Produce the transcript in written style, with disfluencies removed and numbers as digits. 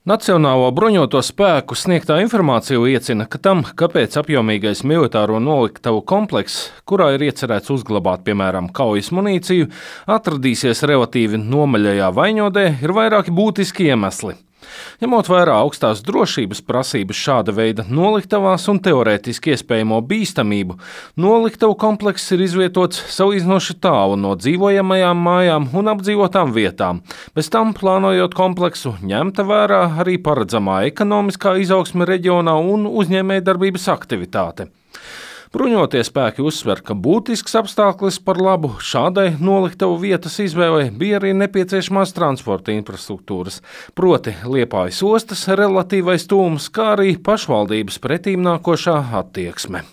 Nacionālo bruņoto spēku sniegtā informācija liecina, ka tam, kāpēc apjomīgais militāro noliktavu komplekss, kurā ir iecerēts uzglabāt, piemēram, kaujas munīciju, atradīsies relatīvi nomaļajā Vaņodē, ir vairāki būtiski iemesli. Ņemot vērā augstās drošības prasības šāda veida noliktavās un teorētiski iespējamo bīstamību, noliktavu komplekss ir izvietots salīdzinoši tālu no dzīvojamajām mājām un apdzīvotām vietām. Bez tam, plānojot kompleksu, ņemta vērā arī paredzamā ekonomiskā izaugsme reģionā un uzņēmējdarbības aktivitāte. Bruņotie spēki uzsver, ka būtisks apstākļus par labu šādai noliktavu vietas izvēlei bija arī nepieciešamās transporta infrastruktūras, proti Liepājas ostas relatīvais tūms, kā arī pašvaldības pretīmnākošā attieksme.